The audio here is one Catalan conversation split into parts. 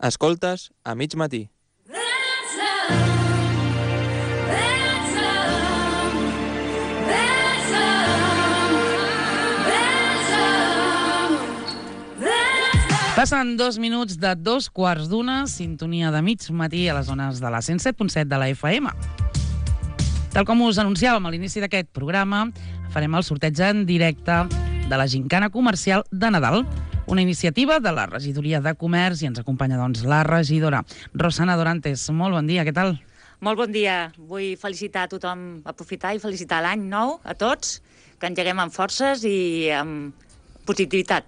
Escoltes a mig matí. Passen 2 minuts de 2:15, sintonia de mig matí a les zones de la 107.7 de la FM. Tal com us anunciàvem a l'inici d'aquest programa, farem el sorteig en directe de la Gincana Comercial de Nadal, una iniciativa de la Regidoria de Comerç, i ens acompanya, doncs, la regidora Rosana Dorantes. Molt bon dia, què tal? Molt bon dia. Vull felicitar a tothom, aprofitar i felicitar l'any nou a tots, que engeguem amb forces i amb positivitat.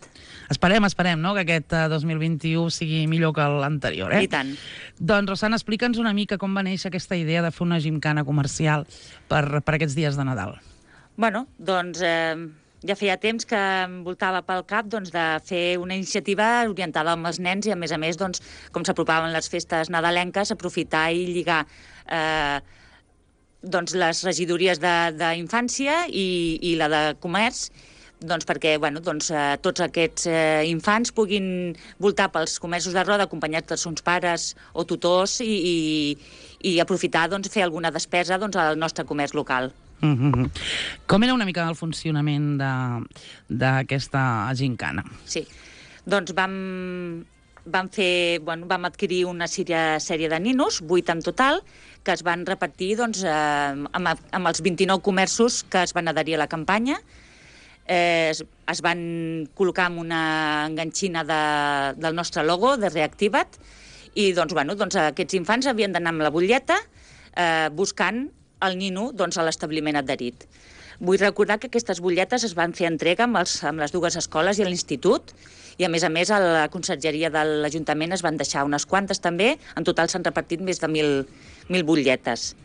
Esperem, no?, que aquest 2021 sigui millor que l'anterior, I tant. Doncs, Rosana, explica'ns una mica com va néixer aquesta idea de fer una gincana comercial per aquests dies de Nadal. Bueno, doncs ja feia temps que em voltava pel cap de fer una iniciativa orientada als nens i, a més, com s'apropaven les festes nadalenques, aprofitar i lligar les regidories d'infància i la de comerç, perquè tots aquests infants puguin voltar pels comerços de roda acompanyats dels seus pares o tutors i aprofitar fer alguna despesa al nostre comerç local. Com era una mica el funcionament d'aquesta gincana? Sí, doncs vam adquirir una sèrie de ninos, 8 en total, que es van repartir amb els 29 comerços que es van adherir a la campanya. Es van col·locar amb una enganxina del nostre logo, de Reactiva't, i aquests infants havien d'anar amb la butlleta buscant el nino a l'establiment adherit. Vull recordar que aquestes butlletes es van fer entrega amb les dues escoles i a l'institut, i a més a la consergeria de l'Ajuntament es van deixar unes quantes també. En total s'han repartit més de 1.000 butlletes.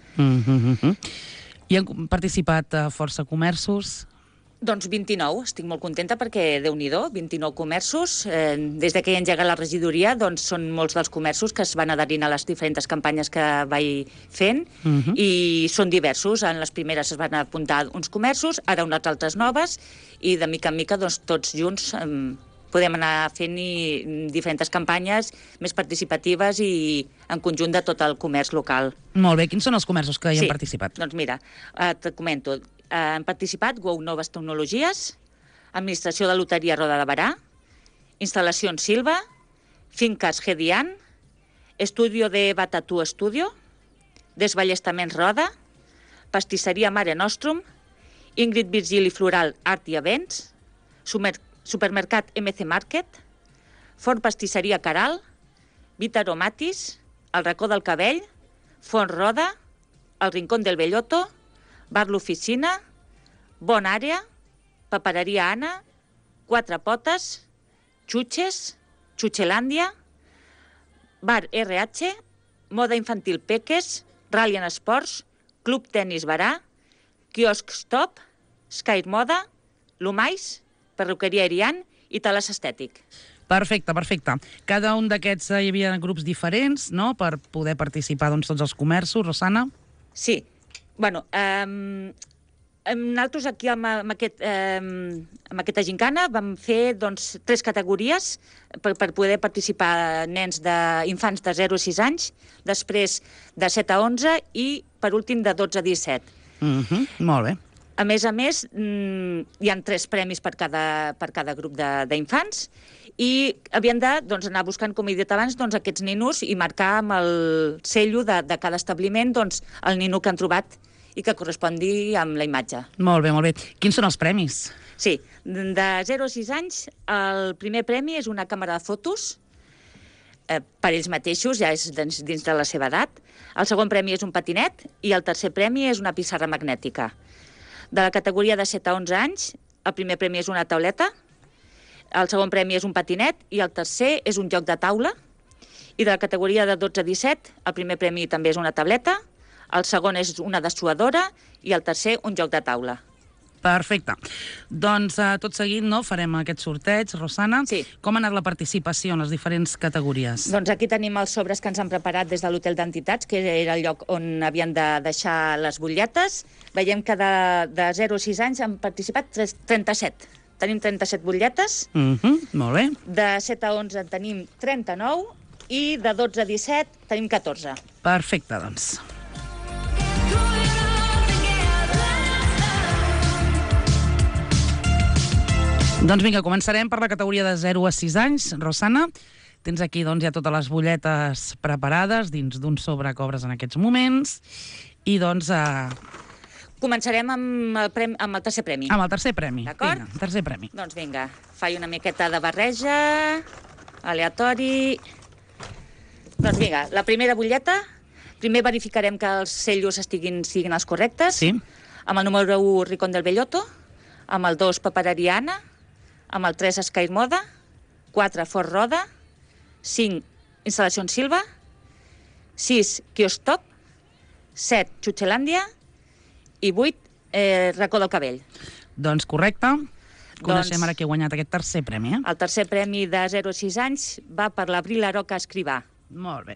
I han participat força comerços? Doncs 29, estic molt contenta perquè, Déu-n'hi-do, 29 comerços. Des que hi ha engegat la regidoria, són molts dels comerços que es van adherint a les diferents campanyes que vaig fent, i són diversos. En les primeres es van apuntar uns comerços, ara unes altres noves, i de mica en mica tots junts podem anar fent diferents campanyes més participatives i en conjunt de tot el comerç local. Molt bé, quins són els comerços que hi han participat? Doncs mira, et comento. Han participat Go Noves Tecnologies, Administració de Loteria Roda de Barà, Instal·lacions Silva, Finques Gedian, Estudio de Batatú Estudio, Desballestaments Roda, Pastisseria Mare Nostrum, Ingrid Virgili Floral Art i Events, Supermercat MC Market, Forn Pastisseria Caral, Vita Aromatis, El Racó del Cabell, Font Roda, El Rincón del Bellotto, Bar L'Oficina, Bon Àrea, Papereria Anna, Quatre Potes, Xuches, Xuchelàndia, Bar RH, Moda Infantil Peques, Rallian Esports, Club Tenis Barà, Quiosc Stop, Sky Moda, Lumais, Perruqueria Erian i Tales Estètic. Perfecte. Cada un d'aquests hi havia grups diferents, no?, per poder participar tots els comerços, Rosana? Sí. Nosaltres aquí amb aquesta gincana vam fer 3 categories per poder participar infants de 0 a 6 anys, després de 7 a 11 i, per últim, de 12 a 17. Molt bé. A més, hi ha 3 premis per cada grup d'infants i havien d'anar buscant, com he dit abans, aquests ninos i marcar amb el cello de cada establiment el nino que han trobat i que correspongui amb la imatge. Molt bé. Quins són els premis? Sí, de 0 a 6 anys, el primer premi és una càmera de fotos per ells mateixos, ja és dins de la seva edat. El segon premi és un patinet i el tercer premi és una pissarra magnètica. De la categoria de 7 a 11 anys, el primer premi és una tauleta, el segon premi és un patinet i el tercer és un joc de taula. I de la categoria de 12 a 17, el primer premi també és una tableta, el segon és una dessuadora i el tercer un joc de taula. Perfecte. Doncs tot seguit farem aquest sorteig, Rosana. Sí. Com ha anat la participació en les diferents categories? Doncs aquí tenim els sobres que ens han preparat des de l'Hotel d'Entitats, que era el lloc on havien de deixar les butlletes. Veiem que de 0 a 6 anys han participat 37. Tenim 37 butlletes. Molt bé. De 7 a 11 en tenim 39 i de 12 a 17 tenim 14. Perfecte, doncs. Doncs vinga, començarem per la categoria de 0 a 6 anys. Rosana, tens aquí doncs, ja totes les butlletes preparades dins d'un sobre que obres en aquests moments. I doncs... Començarem amb el tercer premi. Amb el tercer premi. D'acord? Vinga, tercer premi. Doncs vinga, faig una miqueta de barreja, aleatori... Doncs vinga, la primera butlleta, primer verificarem que els cellos siguin els correctes. Sí. Amb el número 1, Ricón del Bellotto, amb el 2, Paperariana, amb el 3, Sky Moda, 4, Fort Roda, 5, Instal·lacions Silva, 6, Kiostop, 7, Xuxelàndia i 8, Racó del Cabell. Doncs correcte. Coneixem ara qui ha guanyat aquest tercer premi, eh? El tercer premi de 0 a 6 anys va per l'Abril Aroca Escrivà. Molt bé.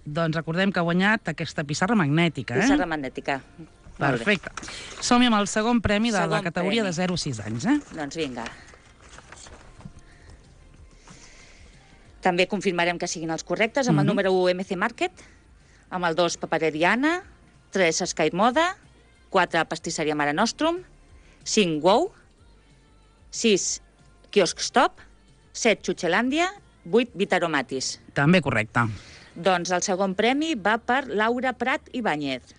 Doncs recordem que ha guanyat aquesta pissarra magnètica, eh? Pissarra magnètica. Perfecte. Som-hi amb el segon premi de la categoria de 0 a 6 anys, eh? Doncs vinga. També confirmarem que siguin els correctes amb el número 1, MC Market, amb el 2, Paperariana, 3, Sky Moda, 4, Pastisseria Mare Nostrum, 5, Wow, 6, Quiosc Stop, 7, Xuxelàndia, 8, Vitaromatis. També correcte. Doncs el segon premi va per Laura Prat Ibáñez.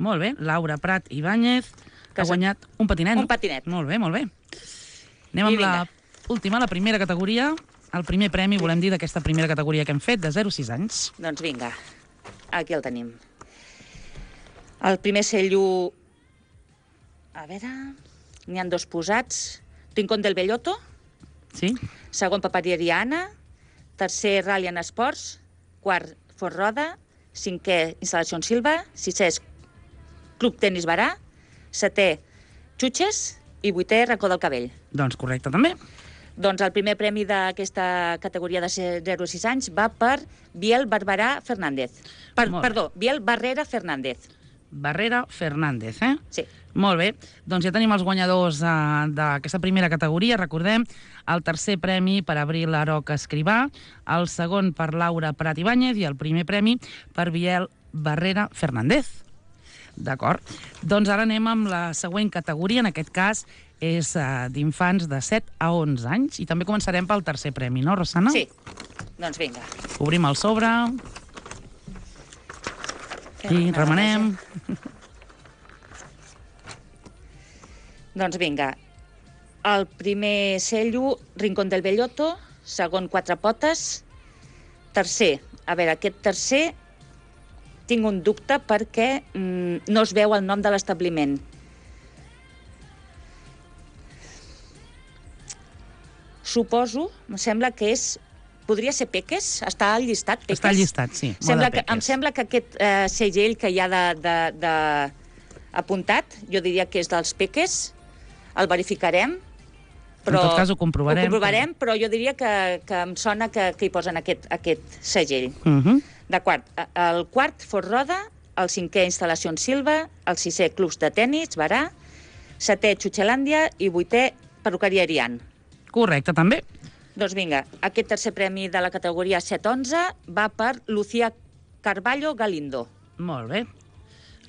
Molt bé, Laura Prat Ibáñez, que ha guanyat un patinet. Un patinet. Molt bé, molt bé. Anem amb l'última, la primera categoria. El primer premi, volem dir, d'aquesta primera categoria que hem fet, de 0 a 6 anys. Doncs vinga, aquí el tenim. El primer cello... A veure... N'hi ha dos posats. Rincón del Bellotto. Sí. Segon, Paperariana. Tercer, Rallian Esports. Quart, Fort Roda. Cinquè, Instal·lacions Silva. Sisè, Club Tenis Barà. Setè, Xuxes. I vuitè, Racó del Cabell. Doncs correcte, també. Doncs el primer premi d'aquesta categoria de 0 a 6 anys va per Biel Barberà Fernández. Perdó, Biel Barrera Fernández. Barrera Fernández, eh? Sí. Molt bé. Doncs ja tenim els guanyadors d'aquesta primera categoria. Recordem, el tercer premi per Abril Aroca Escrivà, el segon per Laura Prat Ibáñez i el primer premi per Biel Barrera Fernández. D'acord. Doncs ara anem amb la següent categoria. En aquest cas és d'infants de 7 a 11 anys. I també començarem pel tercer premi, no, Rosana? Sí. Doncs vinga. Obrim el sobre. I remenem. Doncs vinga. El primer cello, Rincón del Bellotto. Segon, Quatre Potes. Tercer. A veure, aquest tercer tinc un dubte perquè no es veu el nom de l'establiment. Suposo, em sembla que és... Podria ser Peques? Està al llistat, Peques? Està al llistat, sí. Em sembla que aquest segell que hi ha apuntat, jo diria que és dels Peques, el verificarem. Però, en tot cas ho comprovarem. Ho comprovarem, però jo diria que em sona que hi posen aquest segell. D'acord. El quart, Fort Roda, el cinquè, Instal·lacions Silva, el sisè, Clubs de Tenis, Barà, setè, Xuxelàndia i vuitè, Perruqueria Arian. Correcte, també. Doncs vinga, aquest tercer premi de la categoria 7-11 va per Lucía Carballo Galindo. Molt bé.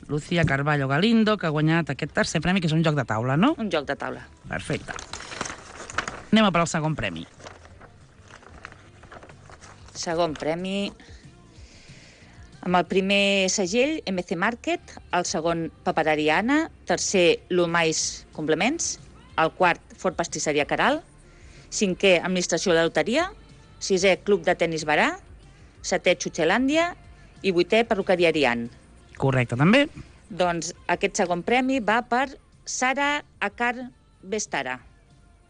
Lucía Carballo Galindo, que ha guanyat aquest tercer premi, que és un joc de taula, no? Un joc de taula. Perfecte. Anem a per al segon premi. Segon premi... Amb el primer segell, MC Market, el segon, Paperariana, tercer, Lumais Complements, el quart, Fort Pastisseria Caral, cinquè, Administració de Loteria, sisè, Club de Tenis Barà, setè, Xuxelàndia i vuitè, Perruqueria Arian. Correcte, també. Doncs aquest segon premi va per Sara Akar Vestara.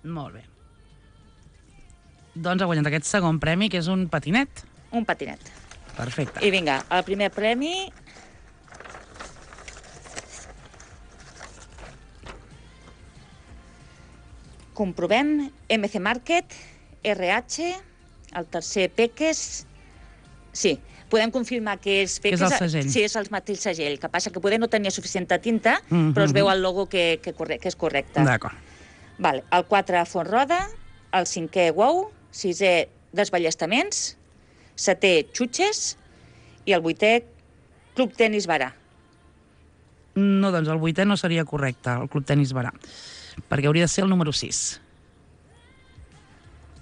Molt bé. Doncs ha guanyat aquest segon premi, que és un patinet. Un patinet. Perfecte. I vinga, el primer premi... Comprovem, MC Market, RH, el tercer Peques... Sí, podem confirmar que és Peques... Que és el segell. Sí, és el mateix segell, que passa que poder no tenia suficient tinta, però es veu el logo que és correcte. D'acord. Vale. El 4, Font Roda, el 5è, Wow, 6è, Desballestaments, setè, Xutxes, i el 8è, Club Tenis Barà. No, doncs el 8è no seria correcte, el Club Tenis Barà, perquè hauria de ser el número 6.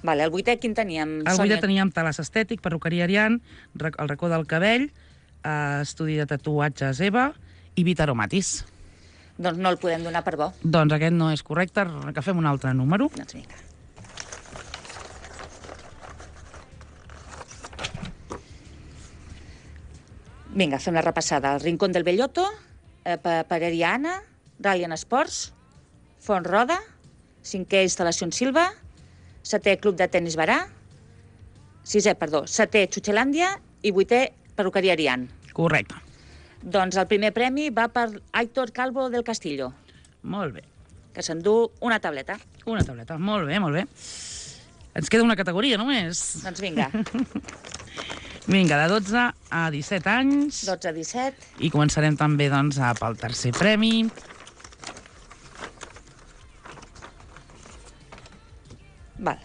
Vale, el 8è quin teníem? El 8è teníem Talàs Estètic, perruqueria Arian, el racó del cabell, estudi de tatuatges Eva i Vitaromatis. Doncs no el podem donar per bo. Doncs aquest no és correcte, que fem un altre número. Doncs vinga. Vinga, fem la repassada. El Rincón del Bellotto, Pareria Anna, Rallian Sports, Font Roda, 5è Instal·lacions Silva, 7è Club de Tenis Barà, 7è Xuxelàndia i 8è Perruqueria Arian. Correcte. Doncs el primer premi va per Aitor Calvo del Castillo, Molt bé. que s'endú una tableta. Una tableta. Molt bé, molt bé. Ens queda una categoria només. Doncs vinga, Vinga, de 12 a 17 anys. 12 a 17. I començarem també doncs, pel tercer premi. Val.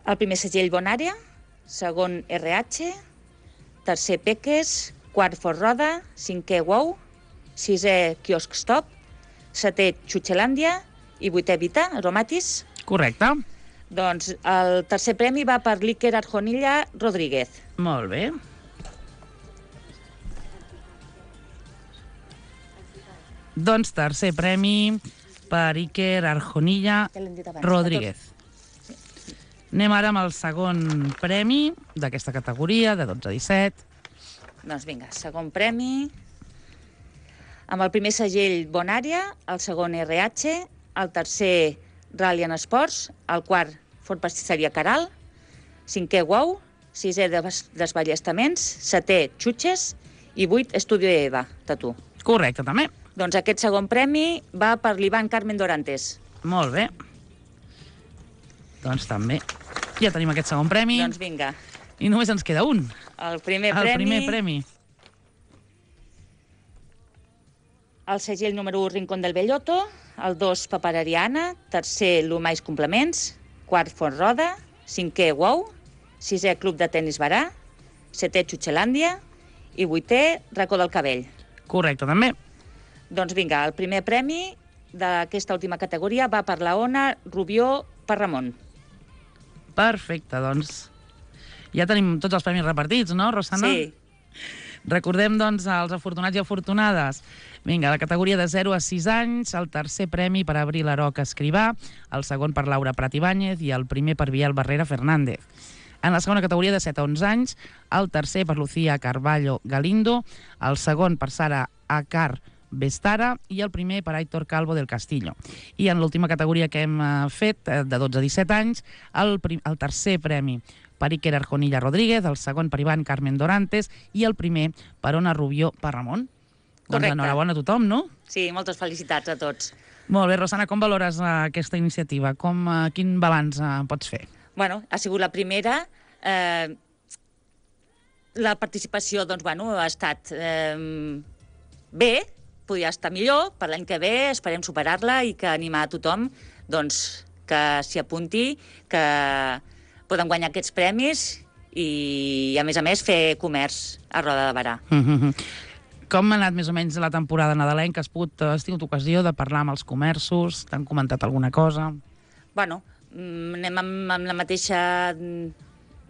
El primer segell Bonària, segon RH, tercer Peques, quart Fort Roda, 5è Wow, 6è Quiosc Stop, 7è Xuxelàndia i 8è Vita, Aromatis. Correcte. Doncs el tercer premi va per l'Iker Arjonilla Rodríguez. Molt bé. Doncs tercer premi per Iker Arjonilla Ja l'hem dit abans, Rodríguez. Anem ara amb el segon premi d'aquesta categoria, de 12 a 17. Doncs vinga, segon premi. Amb el primer segell Bonària, el segon RH, el tercer Rallian Sports, el quart Fort Pastisseria Caral, 5è Wow, 6è Desballestaments, 7è Xutxes i 8 Estudio Eva, Tatu. Correcte, també. Doncs aquest segon premi va per l'Ivan Carmen Dorantes. Molt bé. Doncs també. Ja tenim aquest segon premi. Doncs vinga, I només ens queda un. el primer El premi... primer premi. El segell número 1, Rincón del Bellotto, el 2, Papereria Anna, tercer, Lumais Complements, quart, Font Roda, 5è, Wow, 6è, Club de Tenis Barà, 7è, Xuxelàndia i 8è, Racó del Cabell. Correcte, també. Doncs vinga, el primer premi d'aquesta última categoria va per la Ona Rubió Parramon. Perfecte, doncs ja tenim tots els premis repartits, no, Rosana? Sí, Recordem, doncs, els afortunats i afortunades. Vinga, la categoria de 0 a 6 anys, el tercer premi per Abril Aroca Escrivà, el segon per Laura Prat Ibáñez i el primer per Biel Barrera Fernández. En la segona categoria de 7 a 11 anys, el tercer per Lucía Carballo Galindo, el segon per Sara Acar Vestara i el primer per Aitor Calvo del Castillo. I en l'última categoria que hem fet, de 12 a 17 anys, el tercer premi per Iker Arjonilla Rodríguez, el segon per Ivan Carmen Dorantes i el primer per Ona Rubió Parramon. Doncs Correcte. enhorabona a tothom, no? sí, moltes felicitats a tots. Molt bé, Rosana, com valores aquesta iniciativa? Quin balanç pots fer? Bueno, ha sigut la primera. La participació, doncs, bueno, ha estat bé, podria estar millor. Per l'any que ve esperem superar-la i que animar a tothom doncs, que s'hi apunti, que poden guanyar aquests premis i, a més, fer comerç a Roda de Barà. Com ha anat més o menys la temporada nadalenca? Has tingut ocasió de parlar amb els comerços? T'han comentat alguna cosa? Bueno, anem amb la mateixa...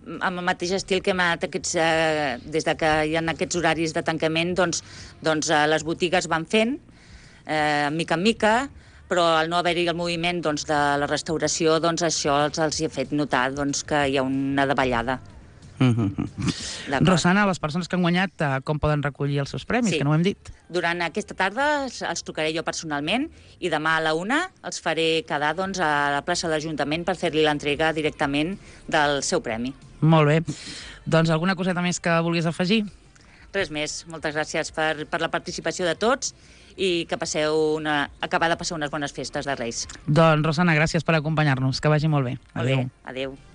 amb el mateix estil que hem anat des de que hi ha aquests horaris de tancament, doncs les botigues van fent, mica en mica, però al no haver-hi el moviment doncs, de la restauració, doncs això els ha fet notar doncs, que hi ha una davallada. D'acord. Rosana, les persones que han guanyat, com poden recollir els seus premis, Sí. que no ho hem dit? Durant aquesta tarda els trucaré jo personalment i demà a la 1 els faré quedar doncs, a la plaça de l'Ajuntament per fer-li l'entrega directament del seu premi. Molt bé. Doncs alguna coseta més que vulguis afegir? Res més. Moltes gràcies per la participació de tots i que acabar de passar unes bones festes de Reis. Doncs, Rosana, gràcies per acompanyar-nos. Que vagi molt bé. Molt bé. Adéu. Adéu.